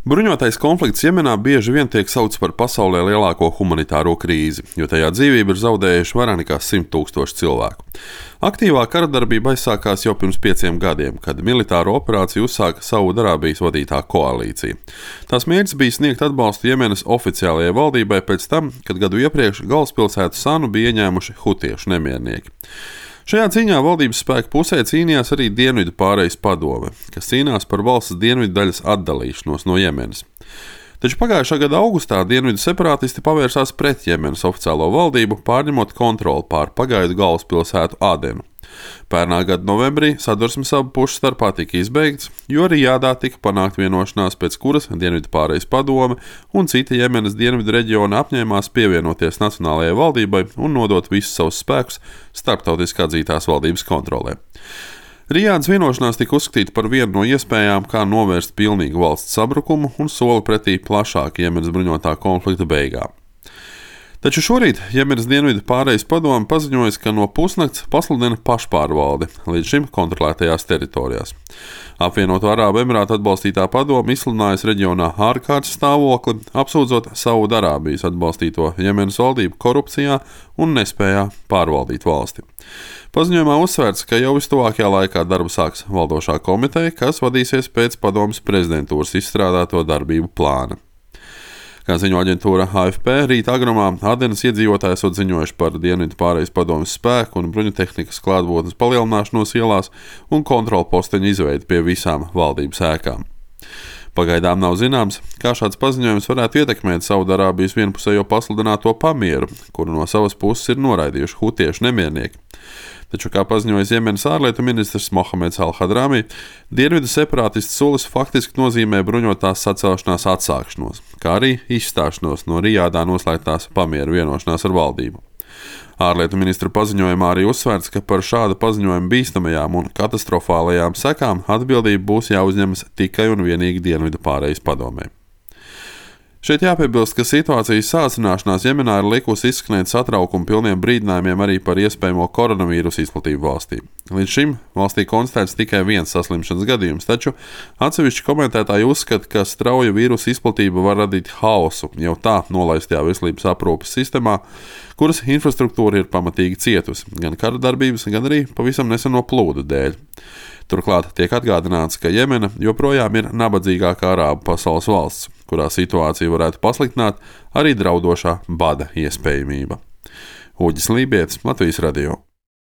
Bruņotais konflikts Jemenā bieži vien tiek saukts par pasaulē lielāko humanitāro krīzi, jo tajā dzīvību ir zaudējuši vairāk nekā 100 000 cilvēku. Aktīvā kara darbība aizsākās jau pirms 5 gadiem, kad militāro operāciju uzsāka Saudarābijas vadītā koalīcija. Tās mērķis bija sniegt atbalstu Jemenas oficiālajai valdībai pēc tam, kad gadu iepriekš galvaspilsētu Sanu bija ieņēmuši hutiešu nemiernieki. Šajā cīņā valdības spēku pusē cīnījās arī Dienvidu pārejas padome, kas cīnās par valsts dienvidu daļas atdalīšanos no Jemenas. Taču pagājušā gada augustā dienvidu separātisti pavērsās pret Jemenas oficiālo valdību, pārņemot kontroli pār pagaidu galvaspilsētu Adenu. Pērnā gada novembrī sadursmes abu pušu starpā tika izbeigts, jo Rijādā tika panākt vienošanās, pēc kuras Dienvidu pārejas padome un cita Jemenas dienvidu reģiona apņēmās pievienoties nacionālajai valdībai un nodot visus savus spēkus starptautiski atzītās valdības kontrolē. Rijādas vienošanās tika uzskatīta par vienu no iespējām, kā novērst pilnīgu valsts sabrukumu un soli pretī plašāka Jemenas bruņotā konflikta beigām. Taču šorīt Jemenas dienvidu pārejas padome paziņoja, ka no pusnakts pasludina pašpārvaldi līdz šim kontrolētajās teritorijās. Apvienoto Arābu Emirātu atbalstītā padome izsludinājusi reģionā ārkārtas stāvokli, apsūdzot Saudarābijas atbalstīto Jemenas valdību korupcijā un nespējā pārvaldīt valsti. Paziņojumā uzsvērts, ka jau vistuvākajā laikā darbu sāks valdošā komiteja, kas vadīsies pēc padomes prezidentūras izstrādāto darbību plāna. Kā ziņo aģentūra AFP, rīta agrumā Adenas iedzīvotāji esot ziņojuši par Dienvidu pārejas padomes spēku un bruņutehnikas klātbūtnes palielināšanos ielās un kontrolu posteņu izveidi pie visām valdības ēkām. Pagaidām nav zināms, kā šāds paziņojums varētu ietekmēt Saudarābijas vienpusējo pasludināto pamieru, kuru no savas puses ir noraidījuši hutiešu nemiernieki. Taču, kā paziņoja Jemenas ārlietu ministrs Mohameds Al-Hadrami, dienvidu separātistu solis faktiski nozīmē bruņotās sacelšanās atsākšanos, kā arī izstāšanos no Rijādā noslēgtās pamieru vienošanās ar valdību. Ārlietu ministra paziņojumā arī uzsvērts, ka par šāda paziņojuma bīstamajām un katastrofālajām sekām atbildība būs jāuzņemas tikai un vienīgi Dienvidu pārejas padomē. Šeit jāpiebilst, ka situācijas sāsināšanās Jemenā ir likusi izskanēt satraukumu pilniem brīdinājumiem arī par iespējamo koronavīrusu izplatību valstī. Līdz šim valstī konstatēts tikai viens saslimšanas gadījums, taču atsevišķi komentētāji uzskata, ka strauja vīrusu izplatība var radīt haosu jau tā nolaistajā veselības aprūpes sistēmā, kuras infrastruktūra ir pamatīgi cietusi gan kara darbības, gan arī pavisam neseno plūdu dēļ. Turklāt tiek atgādināts, ka Jemena joprojām ir nabadzīgākā arābu pasaules valsts, kurā situācija varētu pasliktināt arī draudošā bada iespējamība. Uģis Lībietis, Latvijas radio.